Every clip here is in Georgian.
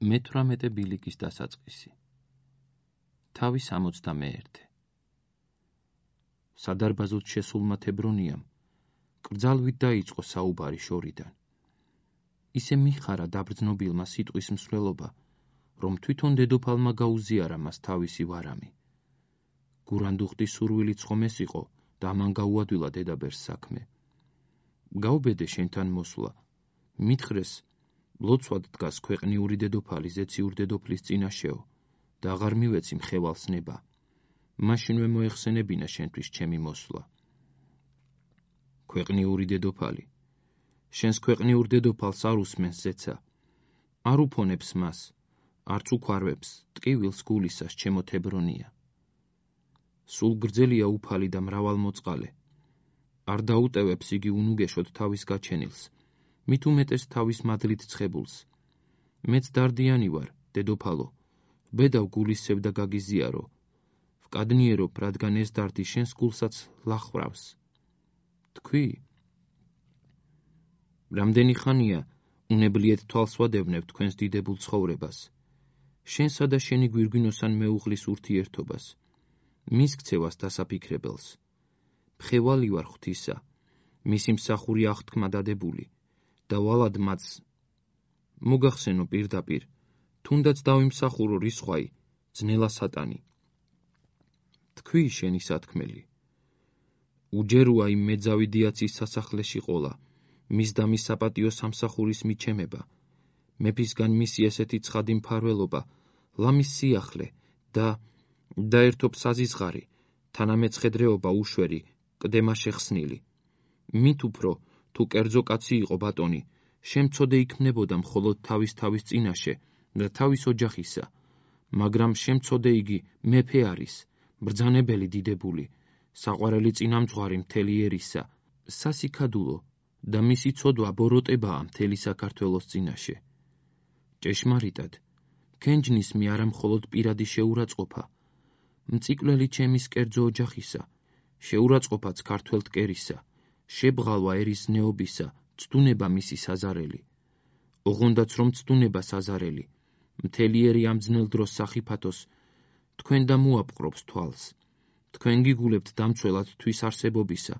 მე-18 ბილიკის დასაწყისი. თავი 61. სადარბაზოდ შესულმა თებრონიამ კრძალვით დაიწყო საუბარი შორიდან. ისე მიხარა დაბრძნობილმა სიტყვის მსვლელობა, რომ თვითონ დედოფალმა გაუზიარა მას თავისი ვარამი. გურანდუხტის სურვილიც ხომ ეს იყო და ამან გაუადვილა დედაბერს საქმე. გაუბედე შენთან მოსვლა, მითხრეს ლოცვად დგას ქვეყნიური დედოფალი ზეციურ დედოფლის წინაშეო და აღარ მივეცი მხევალს ნება. მაშინვე მოეხსენებინა შენთვის ჩემი მოსვლა. ქვეყნიური დედოფალი. შენს ქვეყნიურ დედოფალს არ უსმენს ზეცა. არ უფონებს მას, არც უქვარვებს ტკივილს გულისას ჩემო თებრონია. სულ გრძელია უფალი და მრავალმოწყალე. არ დაუტევებს იგი უნუგეშოდ თავის გაჩენილს, მით უმეტეს თავის მადლით ცხებულს. მეც დარდიანი ვარ, დედოფალო, ბედავ გულისევ და გაგიზიარო. ვკადნიერობ, რადგან ეს დარდი შენს გულსაც ლახვრავს. თქვი? რამდენი ხანია უნებლიეთ თვალს ვადევნებ თქვენს დიდებულ ცხოვრებას, შენსა და შენი გვირგვინოსან მეუღლის ურთიერთობას, მის ქცევას დასაფიქრებელს. მხევალი ვარ ღვთისა, მისი მსახური აღთქმა დადებული და ვალად მაც მოგახსენო პირდაპირ, თუნდაც დავიმსახურო რისხვაი, ძნელა სატანი. თქვი შენი სათქმელი. უჯეროა იმ მეძავი დიაცის სასახლეში ყოლა, მის და მის საპატიო სამსახურის მიჩემება, მეფისგან მისი ესეთი ცხადი მფარველობა, ლამის სიახლე და ერთობ საზიზღარი, თანამეცხედრეობა უშვერი, კდემა შეხსნილი. მით უფრო, თუ კერძო კაცი იყო ბატონი, შემცოდე იქმნებოდა მხოლოდ თავის წინაშე და თავის ოჯახისა, მაგრამ შემცოდე იგი მეფე არის, ბრძანებელი დიდებული, საყვარელი წინამძღვარი მთელი ერისა, სასიქადულო და მისი ცოდვა ბოროტებაა მთელი საქართველოს წინაშე. ჭეშმარიტად, ქენჯნის მე არა მხოლოდ პირადი შეურაცხყოფა, მწიკლელი ჩემის კერძო ოჯახისა, შეურაცხყოფაც ქართველ მტკერისა, შებღალვა ერის ნეობისა, ცდუნება მისი საზარელი. ოღონდაც რომ ცდუნება საზარელი, მთელი ერი ამ ძნელ დროს სახიფათოს, თქვენ და მოაპყრობს თვალს. თქვენ გიგულებთ დამცველად თვის არსებობისა,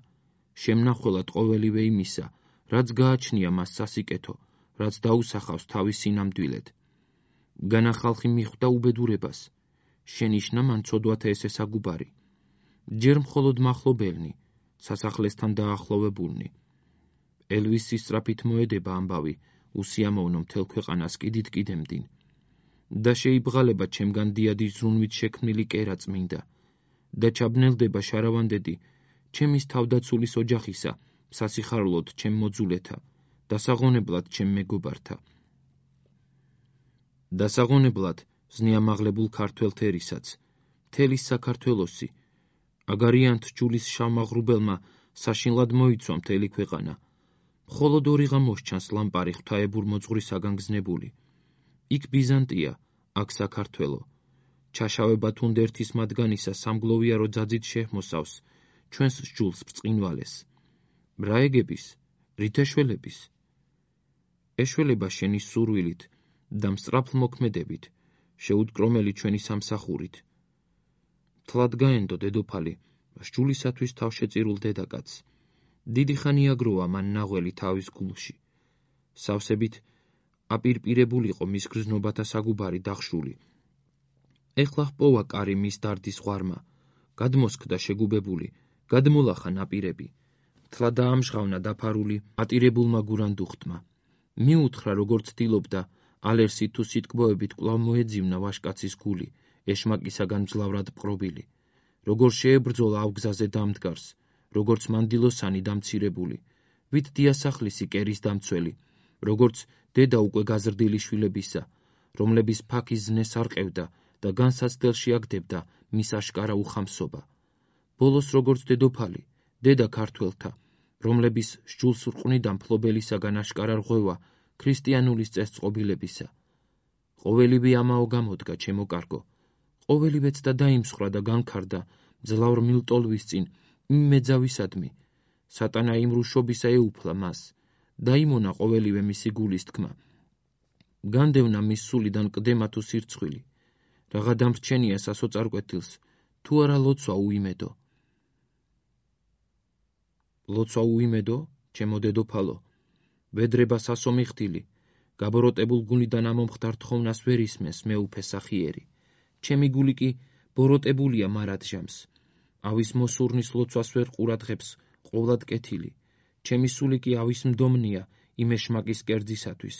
შემნახველად ყოველივე იმისა, რაც გააჩნია მას სასიკეთო, რაც დაუსახავს თავის სინამდვილედ. განა ხალხი მიხვდა უბედურებას, შენიშნა მან ცოდვათა ესე საგუბარი. ჯერ მხოლოდ მახლობელნი, სასახლესთან დაახლოვებულნი. ელვისის სწრაფით მოედება ამბავი, უსიამოვნო მთელ ქვეყანას კიდემდინ. და შეიბღალება ჩემგან დიადის ზრუნვით შექმნილი კერა წმინდა და ჩაბნელდება შარავანდედი ჩემის თავდაცულის ოჯახისა, სასიხარლოდ ჩემ მოძულეთა, დასაღონებლად ჩემ მეგობართა. დასაღონებლად ზნეამაღლებულ ქართველ თერისაც, მთელი საქართველოსი, აგარიანთ ჯულის შავმაღრუბელმა საშინლად მოიცვა მთელი ქვეყანა. მხოლოდ ორიღა მოსჩანს ლამპარი ღვთაებურ მოძღვრისაგან გზნებული. იქ ბიზანტია, აქ საქართველო. ჩაშავება თუნდერთის მათგანისა სამგლოვიარო ძაძით შეჰმოსავს ჩვენს სჯულს ბრწყინვალეს. რა ეგების, რით ეშველების? ეშველება შენი სურვილით და მსწრაფლმოქმედებით, შეუდგრომელი ჩვენი სამსახურით. თლად გაენდო დედოფალი, სჯულისათვის თავშეწირულ დედაკაცს. დიდი ხანი აგროვა მან ნაღველი თავის გულში. სავსებით აპირპირებულიყო მის გრძნობათა საგუბარი დახშული. ეხლა ჰპოვა კარი მის დარდის ღვარმა, გადმოსკდა შეგუბებული, გადმოლახა ნაპირები. თლა დაამჟღავნა დაფარული ატირებულმა გურანდუხტმა. მიუთხრა როგორც ცდილობდა, ალერსით თუ სიტკბოებით კვლავ მოეძივნა ვაჟკაცის გული, ეშმაკისაგან მძლავრად პყრობილი. როგორ შეებრძოლა ავგზაზე დამდგარს, როგორც მანდილოსანი დამცირებული, ვით დიასახლისი კერის დამცველი, როგორც დედა უკვე გაზრდილი შვილებისა, რომლების ფაქის ზნეს არ ყევდა და განსაცდელში აგდებდა მის აშკარა უხამსობა. ბოლოს როგორც დედოფალი, დედა ქართველთა, რომლების სჯულს რყვნიდა მფლობელისაგან აშკარა რღვევა ქრისტიანულის წესწყობილებისა. ყოველივე ამაო გამოდგა ჩემო კარგო, ყოველივეც და დაიმსხვრა და განქარდა მძლავრ მილტოლვის წინ იმ მეძავისადმი. სატანა იმ რუშობისა ეუფლა მას, დაიმონა ყოველივე მისი გულის თქმა. განდევნა მის სულიდან კლდემა თუ სირცხვილი, რაღა დამრჩენია სასოწარკვეთილს, თუ არა ლოცვა უიმედო. ლოცვა უიმედო, ჩემო დედოფალო, ვედრება სასომი ხდილი, გაბოროტებულ გულიდან ამომხდარ თხოვნას ვერ ისმენს მეუფე სახიერი. ჩემი გული კი ბოროტებულია მარადჟამს, ავის მოსურნის ლოცვას ვერ ყურადღებს ყოვლად კეთილი. ჩემი სული კი ავის მდომნია იმეშმაკის კერძისათვის.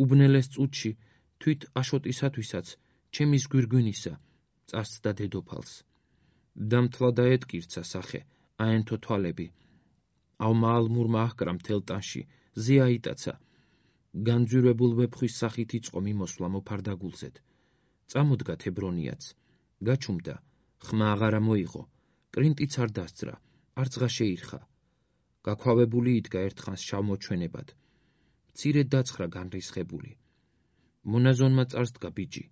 უბნელეს წუთში თვით აშოტისათვისაც ჩემის გვირგვინისა წასცდა დედოფალს. დამთლა და ეტკირცა სახე, აენთო თვალები. ავმა ალმურმა აჰკრა მთელ ტანში, ზე აიტაცა. განძვირებულ ვეფხვის სახით იწყო მიმოსვლა მოფარდაგულზედ. წამოდგა თებრონიაც, გაჩუმდა, ხმა აღარა მოიღო, კრინტიც არ დასძრა, არცღა შეირხა. გაქვავებული იდგა ერთხანს შავმოჩვენებად. მცირედ დაცხრა განრისხებული. მონაზონმა წარსდგა ბიჯი,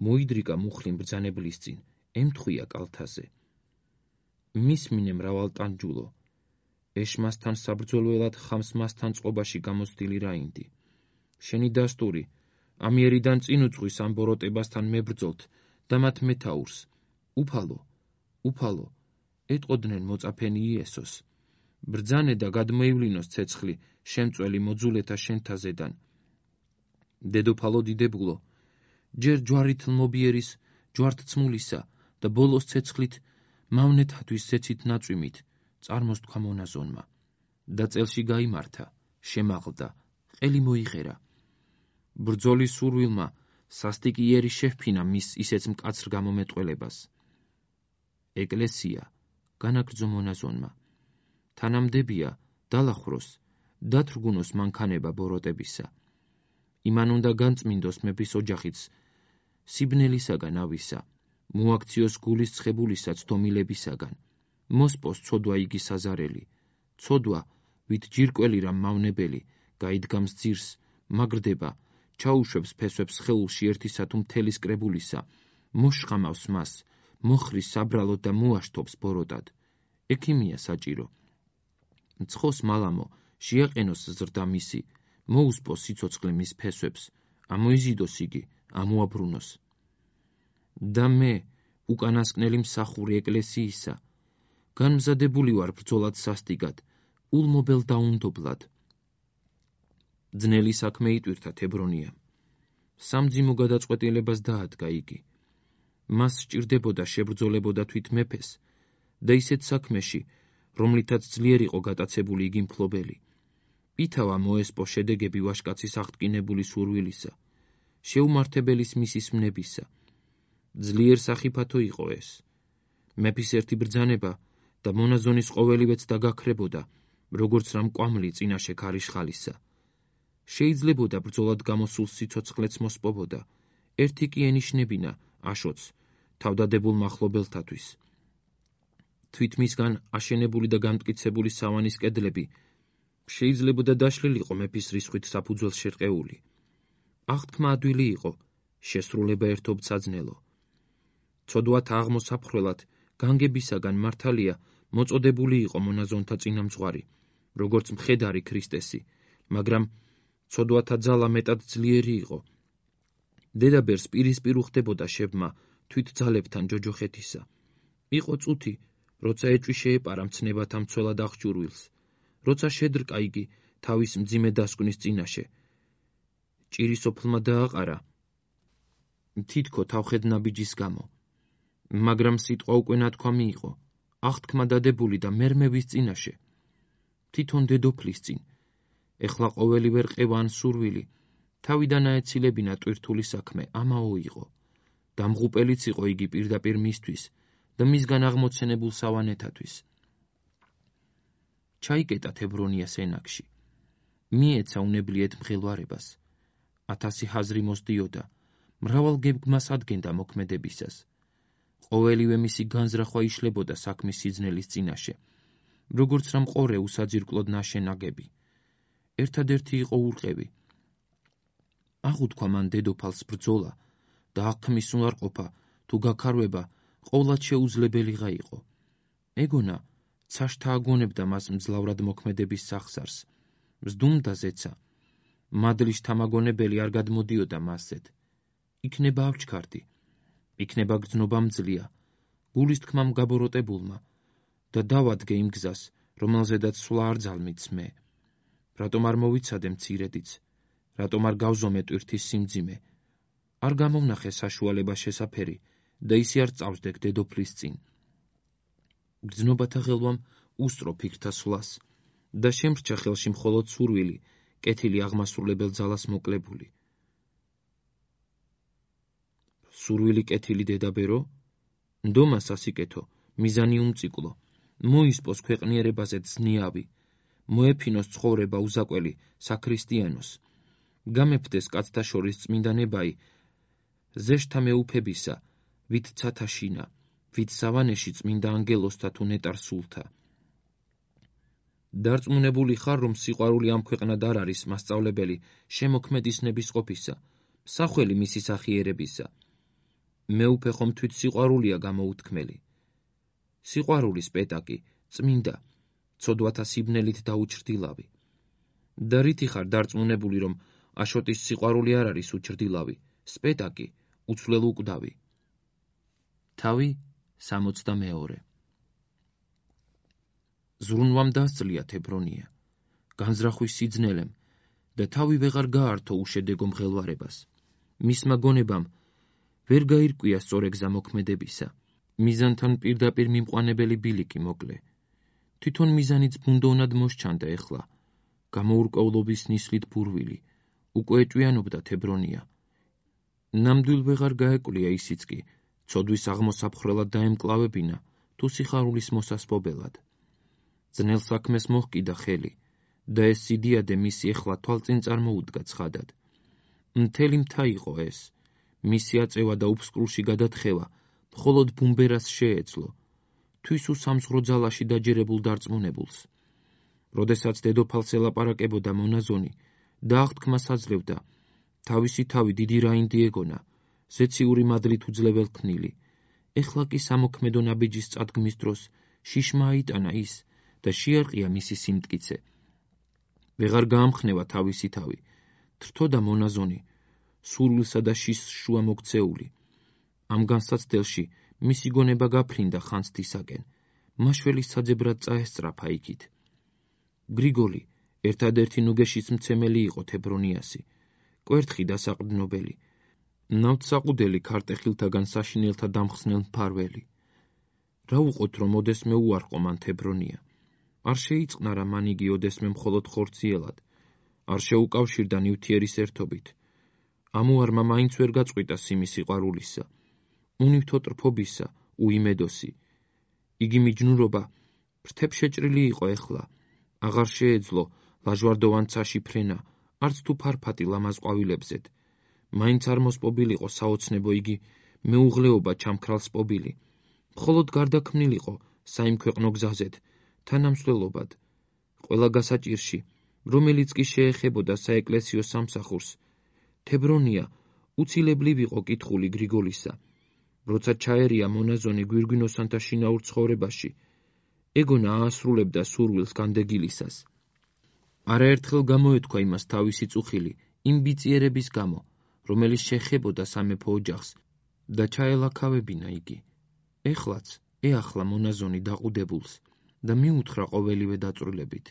მოიდრიკა მუხლი მბრძანებლის წინ, ემთხვია კალთაზე. მისმინე მრავალტანჯულო, ეშმასთან საბრძოლველად ხამს მასთან წყობაში გამოცდილი რაინდი. შენი დასტური, ამიერიდან წინ უძღვის ამ ბოროტებასთან მებრძოლთ და მათ მეთაურს. უფალო, უფალო, ეტყოდნენ მოწაფენი იესოს. ბრძანე და გადმოივლინოს ცეცხლი შემწველი მოძულეთა შენთაზედან. დედოფალო დიდებულო, ჯერ ჯვარით ლმობიერის, ჯვართცმულისა და ბოლოს ცეცხლით მავნეთათვის ზეცით ნაწვიმით წარმოსთქვა მონაზონმა. და წელში გაიმართა, შემაღლდა, ყელი მოიღერა. ბრძოლის სურვილმა სასტიკი იერი შეჰფინა მის ისეც მკაცრ გამომეტყველებას. ეკლესია განაგრძო მონაზონმა. თანამდებია დალახროს, დათრგუნოს მანქანება ბოროტებისა. იმან უნდა განწმინდოს მეფის ოჯახიც სიბნელისაგან ავისა, მოაქციოს გულის ცხებულისაც დომილებისაგან, მოსპოს ცოდვა იგი საზარელი, ცოდვა, ვით ჯირკველი რამ მავნებელი, გაიდგამს ძირს, მაგრდება, ჩაუშვებს ფესვებს ხეულში ერთისა თუ მთელის კრებულისა, მოშხამავს მას, მოხრის საბრალოდ და მოაშთობს ბოროტად. ექიმია საჭირო. მცხოს მალამო, შეაყენოს ზრდა მისი, მოუსპოს სიცოცხლე მის ფესვებს, ამოიზიდოს იგი, ამოაბრუნოს. და მე, უკანასკნელი მსახური ეკლესიისა, განმზადებული ვარ ბრძოლად სასტიკად, ულმობელ დაუნდობლად. ძნელი საქმე იტვირთა თებრონიამ. სამძიმო გადაწყვეტილებას დაადგა იგი. მას სჭირდებოდა შებრძოლებოდა თვით მეფეს და ისეთ საქმეში, რომლითაც ძლიერ იყო გატაცებული იგი მფლობელი. ითავა მოესპო შედეგები ვაჟკაცის აღტკინებული სურვილისა, შეუმართებელის მისის მნებისა. ძლიერ სახიფათო იყო ეს. მეფის ერთი ბრძანება და მონაზონის ყოველივეც დაგაქრებოდა, როგორც რამ კვამლი წინაშე ქარიშხალისა. შეიძლებოდა ბრძოლად გამოსულ სიცოცხლეც მოსპობოდა, ერთი კი ენიშნებინა აშოც თავდადებულ მახლობელთათვის. თვით მისგან აშენებული და განმტკიცებული სავანის კედლები შეიძლებოდა დაშლილიყო მეფის რისხვით საფუძველს შერყეული. აღთქმა ადვილი იყო, შესრულება ერთობ საძნელო. ცოდვათა აღმოსაფხრველად განგებისაგან მართალია მოწოდებული იყო მონაზონთა წინამძღვარი, როგორც მხედარი ქრისტესი, მაგრამ ცოდვათა ძალა მეტად ძლიერი იყო. დედაბერს პირისპირ უხდებოდა შებმა თვით ძალებთან ჯოჯოხეთისა. იყო წუთი, როცა ეჭვი შეეპარა მცნებათა მცველად აღჭურვილს, როცა შედრკა იგი თავის მძიმე დასკვნის წინაშე. ჭირისოფლმა დააყარა თითქო თავხედნაბიჯის გამო, მაგრამ სიტყვა უკვე ნათქვამი იყო, აღთქმა დადებული და მერმევის წინაშე. თვითონ დედოფლის წინ, ეხლა ყოველივე რყევა ან სურვილი, თავიდან აეცილებინა ტვირთული საქმე, ამაო იყო. დამღუპელიც იყო იგი პირდაპირ მისთვის და მისგან აღმოცენებულ სავანეთათვის. ჩაიკეტა თებრონიას ენაგში. მიეცა უნებლიეთ მღელვარებას. 1000 ჰაზრი მოსდიოდა, მრავალ გეგმას ადგენდა მოქმედებისას. ყოველივე მისი განზრახვა იშლებოდა საქმის სიძნელის წინაშე, როგორც რამ ყორე უსაძირკლოდ ნაშენაგები. ერთადერთი იყო ურყევი. აღუთქვა მან დედოფალს ბრძოლა და აღქმის უნარყოფა თუ გაქარვება ყოვლად შეუძლებელიღა იყო. ეგონა ცაშთა აგონებდა მას მძლავრად მოქმედების სახსარს. მზდუმდა ზეცა, მადლის თამაგონებელი არ გადმოდიოდა მასზედ. იქნება ავჩქარდი, იქნება გრძნობა მძლია, გულის თქმამ გაბოროტებულმა და დავადგე იმ გზას, რომელზედაც სვლა არ ძალმიც მე. რატომ არ მოვიცადე მცირედიც, რატომ არ გავზომე ტვირთის სიმძიმე, არ გამოვნახე საშუალება შესაფერი და ისე არ წავსდეკ დედოფლის წინ. გრძნობათა ხელვამ უსწრო ფიქრთა სვლას და შემრჩა ხელში მხოლოდ სურვილი, კეთილი აღმასრულებელ ძალას მოკლებული. სურვილი კეთილი დედაბერო? ნდომა სასიკეთო, მიზანი უმწიკლო, მოისპოს ქვეყნიერებაზე ძნიავი, მოეფინოს ცხოვრება უზაკველი საქრისტიანოს, გამეფდეს კაცთა შორის წმინდა ნებაი, ზეშთა მეუფებისა, ვით ცათა შინა, ვით სავანეში წმინდა ანგელოსთა თუ ნეტარ სულთა. დარწმუნებული ხარ, რომ სიყვარული ამ ქვეყნად არ არის მასწავლებელი შემოქმედის ნებისყოფისა, მსახველი მისი სახიერებისა. მეუფე ხომ თვით სიყვარულია გამოუთქმელი. სიყვარულის პეტაკი, წმინდა, ცოდვათა სიბნელით დაუჩრდილავი. და რითი ხარ დარწმუნებული, რომ აშოტის სიყვარული არ არის უჩრდილავი, სპეტაკი, უცვლელ უკვდავი. თავი 62. ზრუნვამ დასძლია თებრონია, განზრახვის სიძნელემ და თავი ვეღარ გაართო უშედეგო მღელვარებას. მისმა გონებამ ვერ გაირკვია სწორი გზა მოქმედებისა. მიზანთან პირდაპირ მიმყვანებელი ბილიკი მოკლე. თვითონ მიზანიც ბუნდოვნად მოსჩანდა ეხლა. გამოურკვევლობის ნისლით ბურვილი, უკვე ეჭვიანობდა თებრონია. ნამდვილ ვეღარ გაეკვლია ისიც კი, ცოდვის აღმოსაფხრელად დაემკლავებინა, თუ სიხარულის მოსასპობელად. ძნელ საქმეს მოჰკიდა ხელი და ეს სიდიადე მისი ეხლა თვალწინ წარმოუდგა ცხადად. მთელი მთა იყო ეს, მისი აწევა და უფსკრულში გადათხევა მხოლოდ ბუმბერას შეეძლო, თვის უსამზღრო ძალაში დაჯერებულ დარწმუნებულს. როდესაც დედოფალს ელაპარაკებოდა მონაზონი და აღთქმას აძლევდა, თავისი თავი დიდი რაინდი ეგონა, ზეციური მადლით უძლებელ ქნილი. ეხლა კი სამოქმედო ნაბიჯის წადგმის დროს შიშმა აიტანა ის და შეარყია მისი სიმტკიცე. ვეღარ გაამხნევა თავისი თავი, თრთოდა მონაზონი, სურვილსა და შიშს შუა მოქცეული. ამ განსაცდელში მისი გონება გაფრინდა ხანძთისაკენ, მაშველის საძებრად წაესწრაფა იქით. გრიგოლი, ერთადერთი ნუგეშის მცემელი იყო თებრონიასი, კვერთხი დასაყრდნობელი, ნავთსაყუდელი ქარტეხილთაგან საშინელთა დამხსნელ მფარველი. რა უყოთ, რომ ოდესმე უარყო მან თებრონია. არ შეიწყნარა მან იგი ოდესმე მხოლოდ ხორციელად, არ შეუკავშირდა ნივთიერის ერთობით. ამუარმა მაინც ვერ გაწყვიტა სიმი სიყვარულისა, უნივთო ტრფობისა, უიმედოსი. იგი მიჯნურობა ფრთებშეჭრილი იყო ეხლა, აღარ შეეძლო ლაჟვარდოვან ცაში ფრენა, არც თუ ფარფატი ლამაზ ყვავილებზედ. მაინც არ მოსპობილიყო საოცნებო იგი მეუღლეობა ჩამქრალ სპობილი, მხოლოდ გარდაქმნილიყო საიმქვეყნო გზაზედ, თანამსვლელობად, ყველა გასაჭირში, რომელიც კი შეეხებოდა საეკლესიო სამსახურს. თებრონია უცილებლივ იყო კითხული გრიგოლისა, როცა ჩაერია მონაზონი გვირგვინოსანთა შინაურ ცხოვრებაში, ეგონა აასრულებდა სურვილს განდეგილისას. არაერთხელ გამოეთქვა იმას თავისი წუხილი იმ ბიწიერების გამო, რომელიც შეხებოდა სამეფო ოჯახს და ჩაელაქავებინა იგი. ეხლაც ეახლა მონაზონი დაყუდებულს და მიუთხრა ყოველივე დაწვრილებით.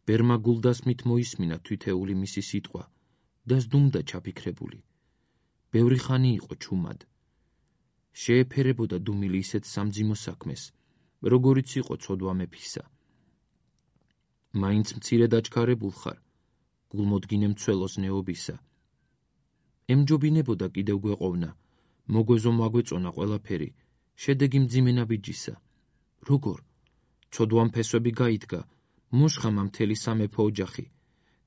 ბერმა გულდასმით მოისმინა თვითეული მისი სიტყვა და ზდუმდა ჩაფიქრებული. ბევრი ხანი იყო ჩუმად. შეეფერებოდა დუმილი ისეთ სამძიმო საქმეს, როგორიც იყო ცოდვა მეფისა. მაინც მცირედ აჩქარებულ ხარ, გულმოდგინე მცველოს ნეობისა. ემჯობინებოდა კიდევ გვეყოვნა, მოგვეზო მაგვეწონა ყველაფერი, შედეგი მძიმე ნაბიჯისა. როგორ? ცოდვამ ფესვები გაიდგა, მოშხამა მთელი სამეფო ოჯახი,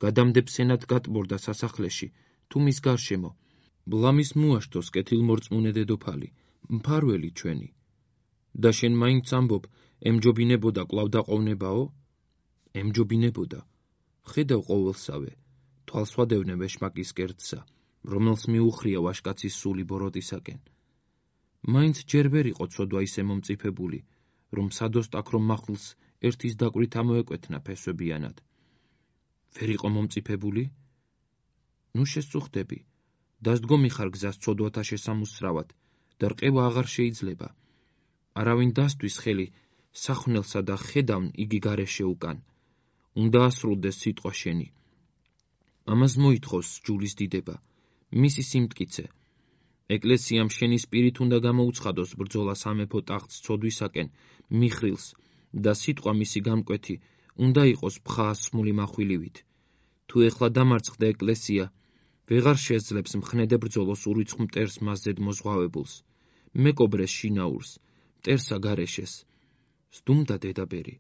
გადამდებ-სენად გატბორდა სასახლეში, თუ მის გარშემო, ბლამის მოაშთოს კეთილმორწმუნე დედოფალი, მფარველი ჩვენი. და შენ მაინც ამბობ, ემჯობინებოდა კვლავ დაყოვნებაო? ემჯობინებოდა. ხედავ ყოველსავე, თვალს ვადევნე ვეშმაკის კერძსა, რომელს მიუხრია ვაშკაცის სული ბოროტისაკენ. მაინც ჯერ ვერ იყო ცოდვა ისე მომწიფებული, რომ სადოსტაკ რომ მახვილს ერთის დაკვრით ამოეკვეთნა ფესვებიანად. ვერ იყო მომწიფებული? ნუ შესწუხდები, დასდგომი ხარ გზას ცოდვათა შესამუსწრავად და რყევა აღარ შეიძლება. არავინ დასთვის ხელი სახვნელსა და ხედავნ იგი გარეშე უკან. უნდა ასრულდეს სიტყვა შენი. ამას მოითხოვს ჯულის დიდება, მისი სიმტკიცე. ეკლესიამ შენი სპირით უნდა გამოუცხადოს ბრძოლა სამეფო ტახტს ცოდვისაკენ, მიხრილს და სიტყვა მისი გამკვეთი უნდა იყოს ფხაასმული מחვილივით. თუ ეხლა დამარცხდა ეკლესია, ვეღარ შეძლებს მხნედე ბრძოლოს ურიცხ მტერს მასზედ მოზღვავებულს, მეკობრეს შინაურს, მტერსა გარეშეს. სდუმდა დედაბერი,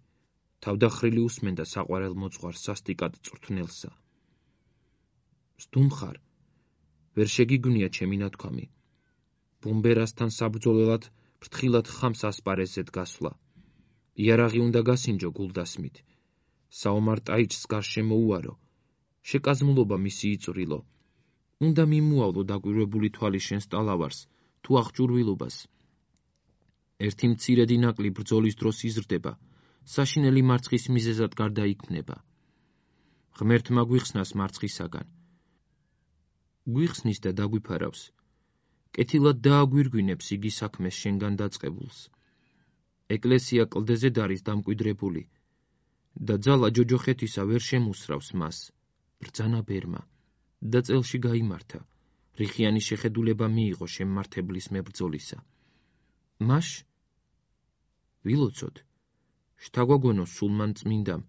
თავდახრილი უსმენდა საყვარელ მოძღვარს სასტიკად წვრთნელსა. სდუმხარ, ვერ შეგიგვნია ჩემი ნათქვამი. ბუმბერასთან საბრძოლველად ფრთხილად ხამს ასპარეზზედ გასვლა. იარაღი უნდა გასინჯო გულდასმით. საომარ ტაიჭს გარშემო უარო. შეკაზმულობა მისი იწვრილო. უნდა მიმუავლო დაკვირვებული თვალი შენს ტალავარს, თუ აღჭურვილობას. ერთი მცირედი ნაკლი ბრძოლის დროს იზრდება, საშინელი მარცხის მიზეზად გარდაიქმნება. ღმერთმა გვიხსნას მარცხისაგან. გვიხსნის და დაგვიფარავს. კეთილად დააგვირგვინებს იგი საქმეს შენგან დაწყებულს. ეკლესია კლდეზედ არის დამკვიდრებული და ძალა ჯოჯოხეთისა ვერ შემუსრავს მას. ბრძანა ბერმა და წელში გაიმართა. რიხიანი შეხედულება მიიღო შემმართებლის მებრძოლისა. მაშ ვილოცოთ, შთაგვაგონოს სულმან წმინდამ,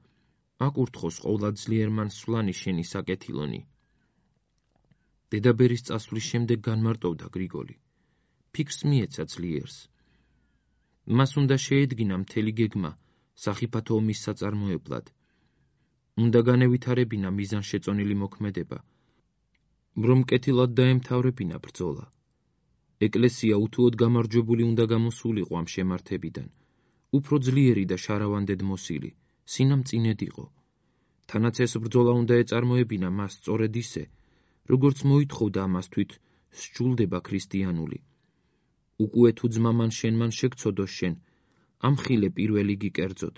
აკურთხოს ყოვლადძლიერმან სვლანი შენი საკეთილონი. დედაბერის წასვლის შემდეგ განმარტოვდა გრიგოლი. ფიქრს მიეცა ძლიერს. მას უნდა შეედგინა მთელი გეგმა სახიფათო ომის საწარმოებლად. უნდა განევითარებინა მიზანშეწონილი მოქმედება, რომ კეთილად დაემთავრებინა ბრძოლა. ეკლესია უთუოდ გამარჯვებული უნდა გამოსულიყო ამ შემართებიდან, უფრო ძლიერი და შარავანდედ მოსილი, სინამწინედ იყო. თანაც ეს ბრძოლა უნდა ეწარმოებინა მას სწორედ ისე, როგორც მოითხოვდა ამას თვით სჯულდება ქრისტიანული. უკუე თუ ძმამან შენმან შეგცოდოს შენ, ამხილე პირველი გიკერძოდ,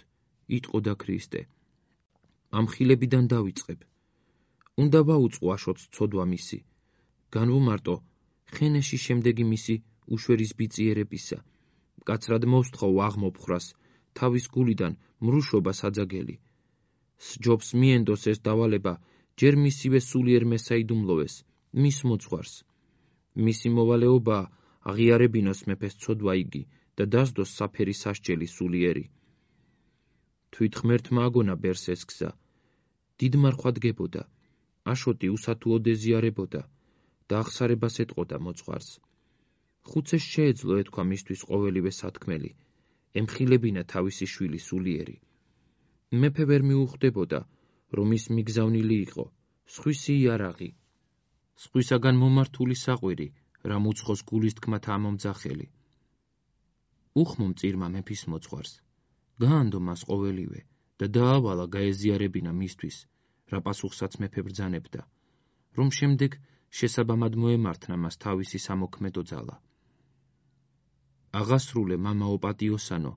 იტყოდა ქრისტე. ამ ხილებიდან დავიწყებ. უნდა ვაუწყო აშოტს ცოდვა მისი, განვუმარტო ხენეში შემდეგი მისი უშვერის ბიწიერებისა, მკაცრად მოვსთხოვ აღმოფხრას, თავის გულიდან მრუშობა საძაგელი. სჯობს მიენდოს ეს დავალება, ჯერ მისივე სულიერ მესაიდუმლოვეს, მის მოძღვარს. მისი მოვალეობაა აღიარებინოს მეფეს ცოდვა იგი და დასდოს საფერი სასჯელი სულიერი. თვით ღმერთმა აგონა ბერს ეს გზა. დიდ მარხვადგებოდა, აშოტი უსათუოდ ეზიარებოდა და აღსარებას ეტყოდა მოძღვარს. ხუცეს შეეძლო ეთქვა მისთვის ყოველივე სათქმელი, ემხილებინა თავისი შვილი სულიერი. მეფე ვერ მიუხვდებოდა, რომ ის მიგზავნილი იყო, სხვისი იარაღი, სხვისაგან მომართული საყვირი, რამ უცხოს გულის თქმათა ამომძახელი. უხმო მწირმა მეფის მოძღვარს, გაანდო მას ყოველივე და დაავალა გაეზიარებინა მისთვის, რა პასუხსაც მეფე ბრძანებდა, რომ შემდეგ შესაბამად მოემართნა მას თავისი სამოქმედო ძალა. აღასრულე მამაო პატიოსანო,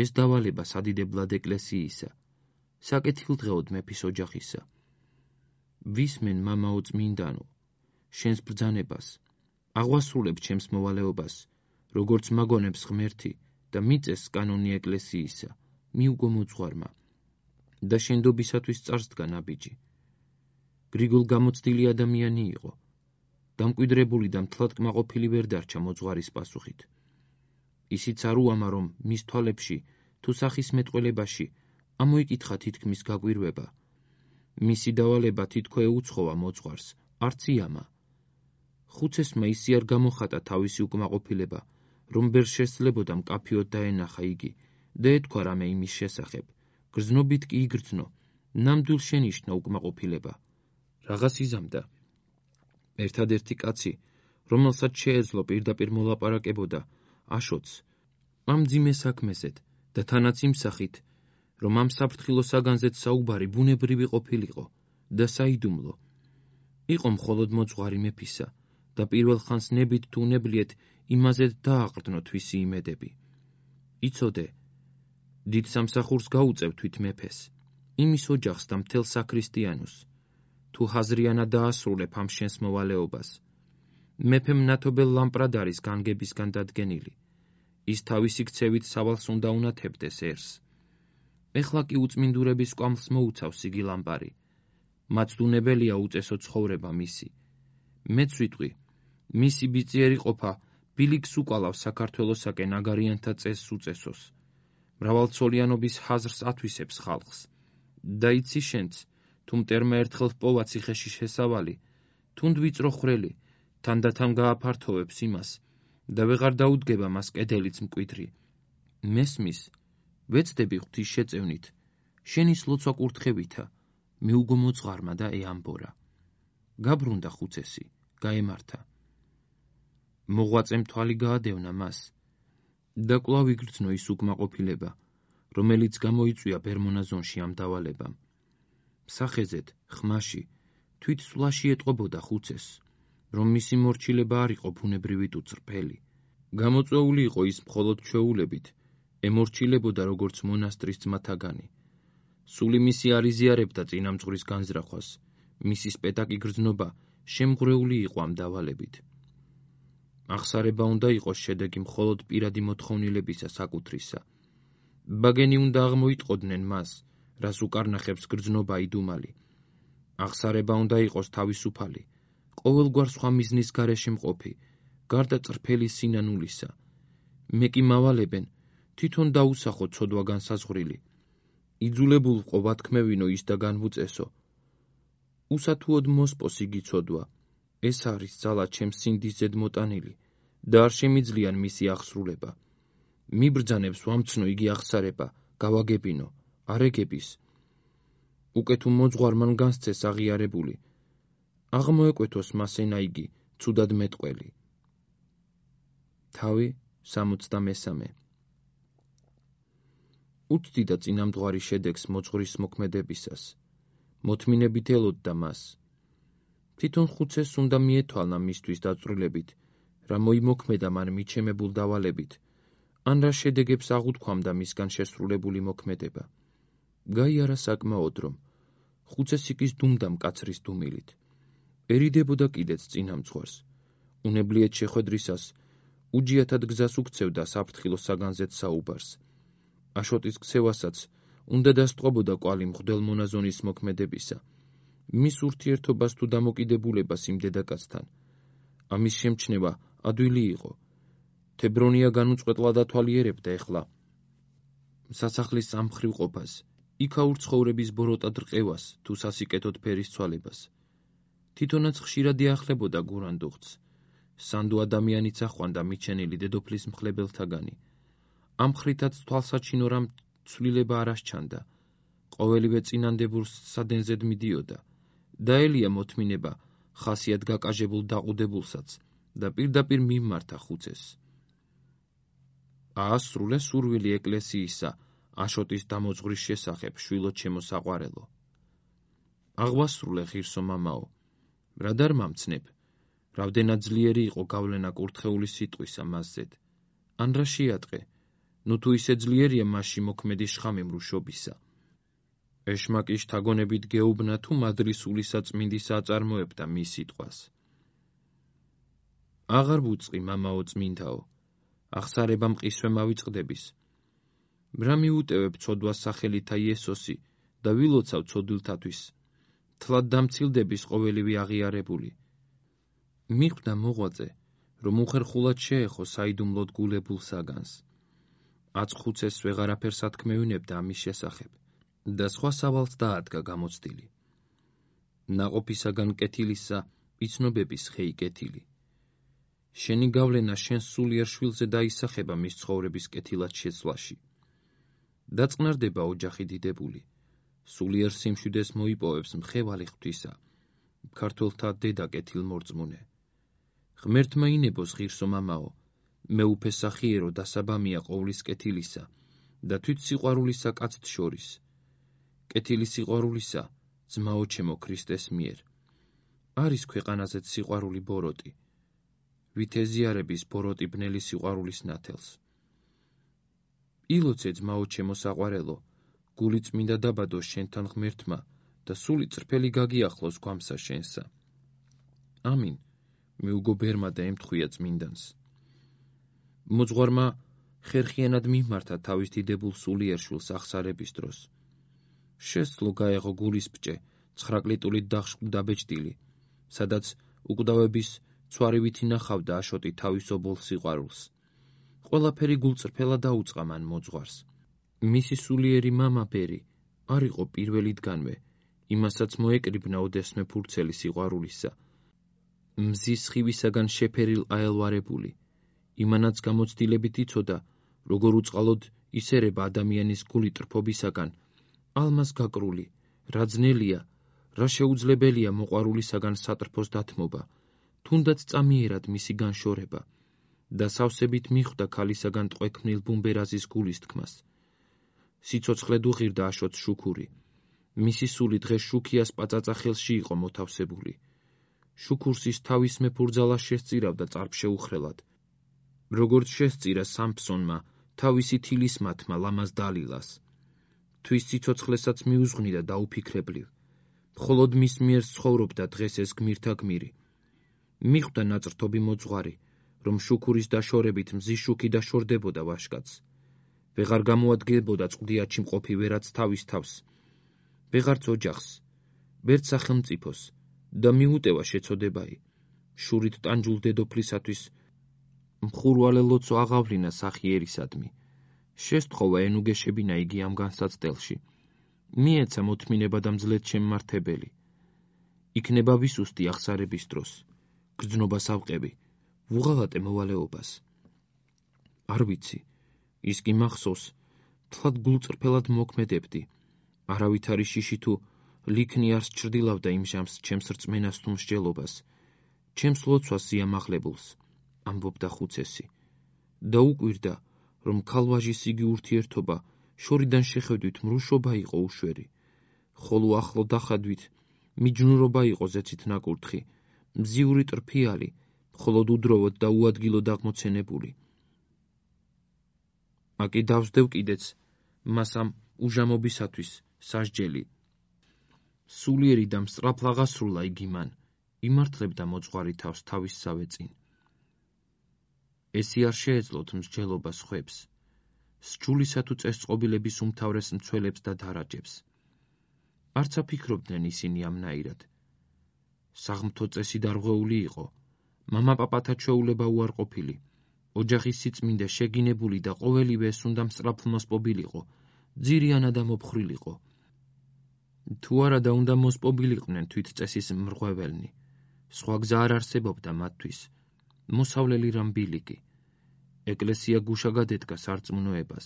ეს დავალება სადიდებლად ეკლესიისა, საკეთილდღეოდ მეფის ოჯახისა. ვისმენ მამაო წმინდანო, შენს ბრძანებას, აღვასრულებ ჩემს მოვალეობას, როგორც მაგონებს ღმერთი და მიწეს კანონი ეკლესიისა, მიუგო მოძღვარმა და შენდობისათვის წარსდგა ნაბიჯი. გრიგოლ გამოცდილი ადამიანი იყო, დამკვიდრებული და მთლად კმაყოფილი ვერ დარჩა მოძღვარის პასუხით. ისიც არ უამა, რომ მის თვალებში თუ სახის მეტყველებაში ამოიკითხა თითქმის გაკვირვება. მისი დავალება თითქო ეუცხოვა მოძღვარს, არც იამა. ხუცესმა ისი არ გამოხატა თავისი უკმაყოფილება, რომ ვერ შესძლებოდა მკაფიოდ დაენახა იგი და ეთქვა რამე იმის შესახებ. გრძნობით კი იგრძნო, ნამდვილ შენიშნა უკმაყოფილება. რაღაც იზამდა. ერთადერთი კაცი, რომელსაც შეეძლო პირდაპირ მოლაპარაკებოდა, აშოტს, ამ მძიმე საქმესეთ და თანაც იმ სახით, რომ ამ საფრთხილო საგანზეც საუბარი ბუნებრივი ყოფილიყო და საიდუმლო. იყო მხოლოდ მოძღვარი მეფისა და პირველ ხანს ნებით თუ უნებლიეთ იმაზედ დააყრდნო თვისი იმედები. იცოდე, დიდ სამსახურს გაუწევ თვით მეფეს, იმის ოჯახს და მთელ საქრისტიანოს. თუ ჰაზრიანად დაასრულებ ამ შენს მოვალეობას. მეფემ ნათობელ ლამპრად არის განგებისგან დადგენილი. ის თავისი ქცევით სავალს უნდა უნათებდეს ერს. ეხლა კი უწმინდურების კვამლს მოუცავს იგი ლამპარი. მაცდუნებელია უწესო ცხოვრება მისი. მეც ვიტყვი, მისი ბიწიერი ყოფა ბილიქს უკალავს საქართველოსაკენ აგარიანთა წესს უწესოს. მრავალცოლიანობის ჰაზრს ათვისებს ხალხს. და იცი შენც, თუ მტერმა ერთხელ ჰპოვა ციხეში შესავალი, თუნდ ვიწრო ხრელი, თანდათან გააფართოვებს იმას და ვეღარ დაუდგება მას კედელიც მკვიდრი. მესმის, ვეცდები ღვთის შეწევნით, შენის ლოცვა კურთხევითა, მიუგო მოძღარმა და ეამბორა. გაბრუნდა ხუცესი, გაემართა. მოღვაწემ თვალი გაადევნა მას და კვლავ იგრძნო ის უკმაყოფილება, რომელიც გამოიწვია ბერმონაზონში ამ დავალებამ. სახეზეთ, ხმაში, თვით სვლაში ეტყობოდა ხუცესს, რომ მისი მორჩილება არ იყო ბუნებრივი თუ წრფელი. გამოწვეული იყო ის მხოლოდ ჩვეულებით, ემორჩილებოდა როგორც მონასტრის ძმათაგანი. სული მისი არ იზიარებდა წინამძღვრის განზრახვას, მისი სპეტაკი გრძნობა შემღვრეული იყო ამ დავალებით. აღსარება უნდა იყოს შედეგი მხოლოდ პირადი მოთხოვნილებისა საკუთრისა. ბაგენი უნდა აღმოიტყოდნენ მას, რას უკარნახებს გრძნობა იდუმალი. აღსარება უნდა იყოს თავისუფალი, ყოველგვარ სხვა მიზნის გარეშე მყოფი, გარდა წრფელი სინანულისა. მე კი მავალებენ, თვითონ დაუსახო ცოდვა განსაზღვრილი. იძულებულ ვყო ვათქმევინო ის და განვუწესო. უსათუოდ მოსპოს იგი ცოდვა. ეს არის ძალა ჩემს სინდის ზედმოტანილი და არ შემიძლიან მისი აღსრულება. მიბრძანებს ვამცნო იგი აღსარება, გავაგებინო, არეგების. უკვე თუ მოძღვარ მან განსცეს აღიარებული, აღმოეკვეთოს მას ენა იგი, ცუდად მეტყველი. თავი 63. უცდი და წინამძღვარი შედეგს მოძღვრის მოქმედებისას. მოთმინებით ელოდდა მას. თვითონ ხუცესს უნდა მიეთვალნა მისთვის დაწვრილებით, რა მოიმოქმედა მან მიჩემებულ დავალებით, ან რა შედეგებს აღუთქვამდა მისგან შესრულებული მოქმედება. გაიარა საკმაოდ, რომ ხუცესი კის დუმდა მკაცრის დუმილით. ერიდებოდა კიდეც წინამძღვარს. უნებლიეთ შეხვედრისას უჯიათად გზას უქცევდა საფრთხილო საგანზეთ საუბარს. აშოტის ქცევასაც უნდა დასტყობოდა კვალი მღვდელ მონაზონის მოქმედებისა, მის ურთიერთობას თუ დამოკიდებულებას იმ დედაკაცთან. ამის შემჩნევა ადვილი იყო. თებრონია განუწყვეტლად ათვალიერებდა ეხლა სასახლის სამხრივ ყოფას, იქაურ ცხოვრების ბოროტად რყევას თუ სასიკეთოდ ფერის ცვალებას. თვითონაც ხშირად ეახლებოდა გურანდუხტს. სანდო ადამიანიც ახვანდა მიჩენილი დედოფლის მხლებელთაგანი. ამ ხრითაც თვალსაჩინო რამ ცვლილება არ ასჩანდა. ყოველივე წინანდებურს სადენზედ მიდიოდა. დაელია მოთმინება ხასიათ გაკაჟებულ დაყუდებულსაც და პირდაპირ მიმართა ხუცესს. აასრულე სურვილი ეკლესიისა აშოტის დამოძღვრის შესახებ, შვილო ჩემო საყვარელო. აღვასრულე ღირსო მამაო, რა დარ მამცნებ, რამდენად ძლიერი იყო გავლენა კურთხეული სიტყვისა მასზედ, ან რა შეატყე, ნუ თუ ისე ძლიერია მასში მოქმედი შხამი მრუშობისა. ეშმაკი შთაგონებით გეუბნა თუ მადრისული საწმინდისა აწარმოებდა მის სიტყვას. აღარ ვუწყი, მამაო წმინდაო, აღსარება მყისვე მავიწყდების. რა მიუტევებ ცოდვას სახელითა იესოსი და ვილოცავ ცოდვილთათვის, თლად დამცილდების ყოველივე აღიარებული. მიხვდა მოღვაწე, რომ უხერხულად შეეხო საიდუმლოდ გულებულ საგანს. აწხუცეს ვეღარაფერს ათქმევინებდა ამის შესახებ და სხვა სავალს დაადგა გამოცდილი. ნაყოფისაგან კეთილისა იცნობების ხეი კეთილი. შენი გავლენა შენს სულიერ შვილზე დაისახება მის ცხოვრების კეთილად შეცვლაში. დაწყნარდება ოჯახი დიდებული. სულიერ სიმშვიდეს მოიპოვებს მხევალი ღვთისა, ქართველთა დედა კეთილმორწმუნე. ღმერთმა ინებოს ღირსო მამაო, მეუფე სახიერო დასაბამია ყოვლის კეთილისა და თვით სიყვარულისა კაცთ შორის. კეთილი სიყვარულისა ძმაო ჩემო ქრისტეს მიერ. არის ქვეყანაზეც სიყვარული ბოროტი. ვითეზიარების ბოროტი ბნელი სიყვარულის ნათელს. ილოცე ძმაო ჩემო საყვარელო, გული წმინდა დაბადოს შენთან ღმერთმა და სული წრფელი გაგიახლოს გვამსა შენსა. ამინ, მიუგო ბერმა და ემთხვია წმინდანს. მოძღვარმა ხერხიანად მიმართა თავის დიდებულ სულიერ შვილს აღსარების დროს. შესძლო გაეღო გულისბჭე, ცხრაკლიტულით დაბეჭდილი, სადაც უკვდავების ცვარივით ინახავდა აშოტი თავის ობოლ სიყვარულს. ყველაფერი გულწრფელა დაუწყა მან მოძღვარს. მისი სულიერი მამა ბერი არ იყო პირველიდანვე, იმასაც მოეკრიბნა ოდესმე ფურცელი სიყვარულისა. მზის სხივისაგან შეფერილ აელვარებული, იმანაც გამოცდილებით იცოდა, როგორ უწყალოდ ისერება ადამიანის გული ტრფობისაგან, ალმას გაკრული, რა ძნელია, რა შეუძლებელია მოყვარულისაგან სატრფოს დათმობა, თუნდაც წამიერად მისი განშორება და სავსებით მიხვდა ქალისაგან ტყვექმნილ ბუმბერაზის გულის თქმას. სიცოცხლედ უღირდა აშოტს შუქური. მისი სული დღეს შუქიას პაწაწა ხელში იყო მოთავსებული. შუქურს ის თავის მეფურძალა შესწირავდა წარფშეუხრელად, როგორც შესწირა სამფსონმა თავისი თილის მათმა ლამაზ დალილას. თვის სიცოცხლესაც მიუძღვნიდა დაუფიქრებლივ. მხოლოდ მის მიერ ცხოვრობდა დღეს ეს გმირთა გმირი. მიხვდა ნაწრთობი მოძღვარი, რომ შუქურის დაშორებით მზის შუქი დაშორდებოდა ვაშკაც. ვეღარ გამოადგებოდა წყდიაჩი მყოფი ვერაც თავის თავს, ვეღარც ოჯახს, ვერც სახელმწიფოს და მიუტევა შეცოდებაი. შურით ტანჯულ დედოფლისათვის მხურვალე ლოცვა აღავლინა სახიერისადმი. შესთხოვა ენუგეშებინა იგი ამ განსაცდელში. მიეცა მოთმინება და მძლეთ შემმართებელი. იქნება ვისუსტი აღსარების დროს. გრძნობას ავყევი, ვუღალატე მოვალეობას. არ ვიცი, ის კი მახსოვს, თლად გულწრფელად მოქმედებდი. არავითარი შიში თუ ლიქნი არს ჩრდილავდა იმ ჟამს ჩემს რწმენას თუ მსჯელობას, ჩემს ლოცვას ზიამაღლებულს, ამბობდა ხუცესი. და უკვირდა, რომ ქალვაჟის იგი ურთიერთობა შორიდან შეხედვით მრუშობა იყო უშვერი, ხოლო ახლო დახადვით მიჯნურობა იყო ზეცით ნაკურთხი, მზიური ტრფიალი, მხოლოდ უდროვოდ და უადგილოდ აღმოცენებული. აკი დავსდევ კიდეც მას ამ უჟამობისათვის სასჯელი. სულიერი და მსწრაფლაღასრულა იგი მან, იმართლებდა მოძღვარი თავს თავისსავე წინ. ესი არ შეეძლოთ მსჯელობას ხვებს, სჯულისა თუ წესწყობილების უმთავრეს მცველებს და დარაჯებს. არც აფიქრობდნენ ისინი ამნაირად. საღმრთო წესი დარღვეული იყო, მამა-პაპათა ჩვეულება უარყოფილი, ოჯახის სიწმინდე შეგინებული და ყოველივე ეს უნდა მსწრაფლმოსპობილიყო, ძირიანად და მოფხრილიყო. თუ არა და უნდა მოსპობილიყვნენ თვით წესის მრღვეველნი. სხვა გზა არ არსებობდა მათთვის. მოსავლელი რამბილიკი. ეკლესია გუშა გადედგა სარწმუნოებას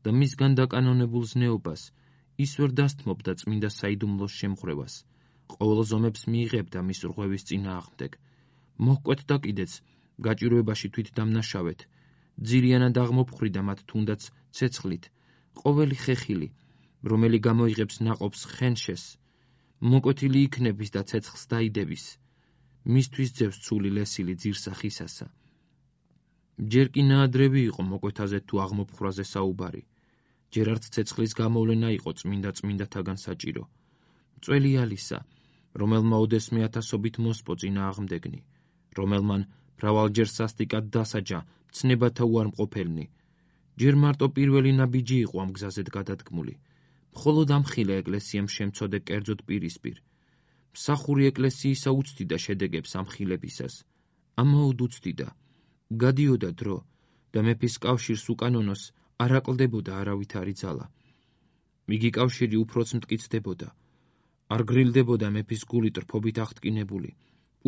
და მისგან დაკანონებულ ზნეობას ის ვერ დასთმობდა წმინდა საიდუმლოს შემხრევას. ყოველ ზომებს მიიღებდა მის რღვევის წინააღმდეგ. მოჰკვეთდა კიდეც გაჭირვებაში თვით დამნაშავეთ. ძირიანად აღმოფხრიდა მათ თუნდაც ცეცხლით. ყოველი ხეხილი, რომელი გამოიღებს ნაყოფს ხენშეს, მოკვეთილი იქნების და ცეცხლს დაიდების. მისთვის ძევს ცული ლესილი ძირსახისასა. ჯერ კი ნაადრევი იყო მოკვეთაზე თუ აღმოფხრაზე საუბარი. ჯერ არც ცეცხლის გამოვლენა იყო წმინდათაგან საჭირო. მწველი ალისა, რომელმა ოდესმე ათასობით მოსპო წინააღმდეგნი, რომელმან მრავალჯერ სასტიკად დასაჯა მცნებათა უარმყოფელნი. ჯერ მარტო პირველი ნაბიჯი იყო ამ გზაზედ გადადგმული. მხოლოდ ამხილე ეკლესიამ შემცოდე კერძოდ პირისპირ. მსახური ეკლესიისა უცდიდა შედეგებს ამხილებისას. ამაოდ უცდიდა. გადიოდა დრო და მეფის კავშირს უკანონოს არ აკლდებოდა არავითარი ძალა. იგი კავშირი უფროც მტკიცდებოდა. არ გრილდებოდა მეფის გული ტრფობით აღტკინებული,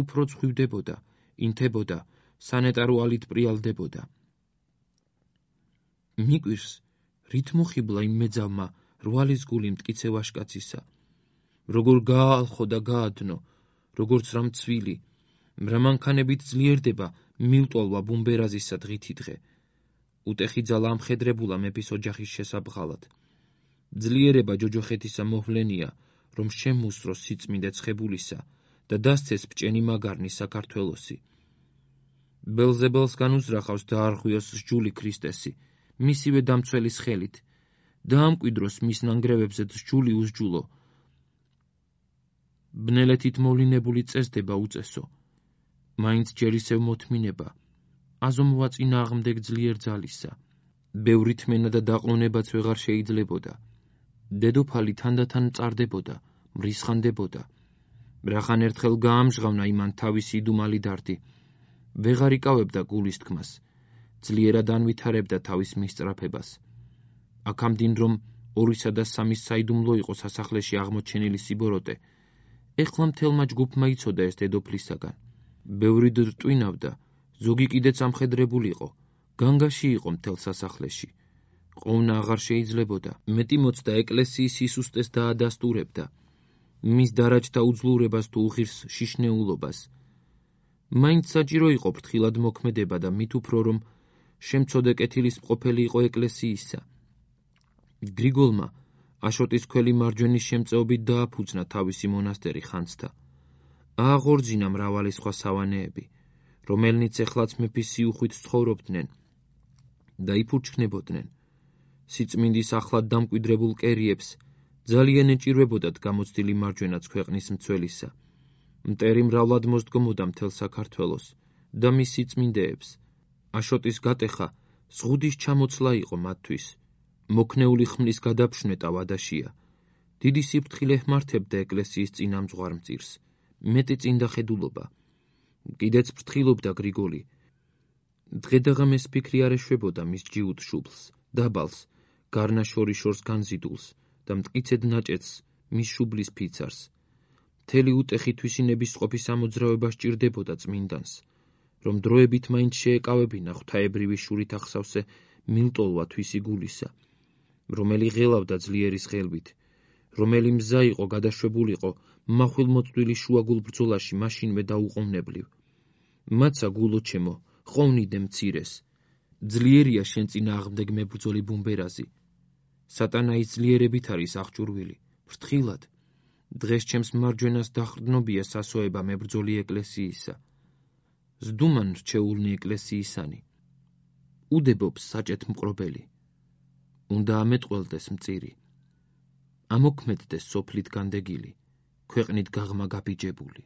უფრო ცხვივდებოდა, ინთებოდა, სანეტარო ალით პრიალდებოდა. მიკვირს, რით მოხიბლა იმ მეძავმა რვალის გული მტკიცე ვაშკაცისა. როგორ გააალხო და გაადნო, როგორც რამ ცვილი, რა მანქანებით ძლიერდება მილტოლვა ბუმბერაზისა დღითი დღე. უტეხი ძალა ამხედრებულა მეფის ოჯახის შესაბღალად. ძლიერება ჯოჯოხეთისა მოვლენია, რომ შემუსროს სიწმინდე ცხებულისა და დასცეს ბჭენი მაგარნი საქართველოსი. ბელზებელს განუზრახავს დაარღვიოს სჯული ქრისტესი, მისივე დამცველის ხელით, და ამკვიდროს მის ნანგრევებზე სჯული უსჯულო. ბნელეთით მოვლინებული წესდება უწესო. მაინც ჯერ ისევ მოთმინება, აზომვა წინააღმდეგ ძლიერ ძალისა. ბევრი თმენა და დაყრდნობაც ვეღარ შეიძლებოდა. დედოფალი თანდათან მწარდებოდა, მრისხანდებოდა. რახან ერთხელ გაამჟღავნა იმან თავისი იდუმალი დარდი. ვეღარ იკავებდა გულის თქმას, ძლიერად ანვითარებდა თავის მისწრაფებას. აქამდინ რომ 2-სა და 3-ის საიდუმლო იყო სასახლეში აღმოჩენილი სიბოროტე, ეხლა მთელმა ჯგუფმა იცოდა ეს დედოფლისაგან. ბევრი რტვინავდა, ზოგი კიდეც ამხედრებულიყო, განგაში იყო მთელ სასახლეში. ყოვნა აღარ შეიძლებოდა, მეტი მოცდა ეკლესიის სისუსტეს დაადასტურებდა, მის დარაჯთა უძლურებას თუ უღირს შიშნეულობას. მაინც საჭირო იყო ფრთხილად მოქმედება და მით უფრო რომ შემცოდე კეთილის მყოფელი იყო ეკლესიისა. გრიგოლმა აშოტის ქველი მარჯვენის შემწეობით დააფუძნა თავისი მონასტერი ხანძთა. ააღორძინა მრავალი სხვა სავანეები, რომელნიც ეხლაც მეფის სიუხვით ცხოვრობდნენ და იფურჩქნებოდნენ. სიწმინდის ახლად დამკვიდრებულ კერიებს ძალიან ეჭირვებოდათ გამოცდილი მარჯვენაც ქვეყნის მცველისა. მტერი მრავლად მოსდგომოდა მთელ საქართველოს და მის სიწმინდეებს. აშოტის გატეხა ზღუდის ჩამოცლა იყო მათთვის. მოქნეული ხმლის გადაფშვნეტა ვადაშია. დიდი სიფრთხილე ჰმართებდა ეკლესიის წინამძღვარ მწირს, მეტი წინდახედულობა. კიდეც ფრთხილობდა გრიგოლი. დღედაღამეს ფიქრი არ ეშვებოდა მის ჯიუტ შუბლს, დაბალს, გარნაშორიშორს განზიდულს და მტკიცედ ნაჭედს მის შუბლის ფიცარს. მთელი უტეხი თვისინების ყოფის ამოძრავება სჭირდებოდა წმინდანს, რომ დროებით მაინც შეეკავებინა ღვთაებრივი შურით ახსავსე მილტოლვა თვისი გულისა, რომელი ღელავდა ძლიერის ღელვით, რომელი მზა იყო გადაშვებულიყო მახვილმოწვდილი შუაგულ ბრძოლაში მაშინვე დაუყოვნებლივ. მაცა გულო ჩემო, ხოვნიდე მცირეს. ძლიერია შენ წინააღმდეგ მებრძოლი ბუმბერაზი. სატანაის ძლიერებით არის აღჭურვილი, ფრთხილად. დღეს ჩემს მარჯვენას დახრდნობია სასოება მებრძოლი ეკლესიისა. ზდუმან რჩეულნი ეკლესიისანი. უდებობს საჭეთ მყრობელი. უნდა ამეტყველდეს მწირი. ამოქმედდეს სოფლით განდეგილი, ქვეყნით გაღმა გაბიჯებული.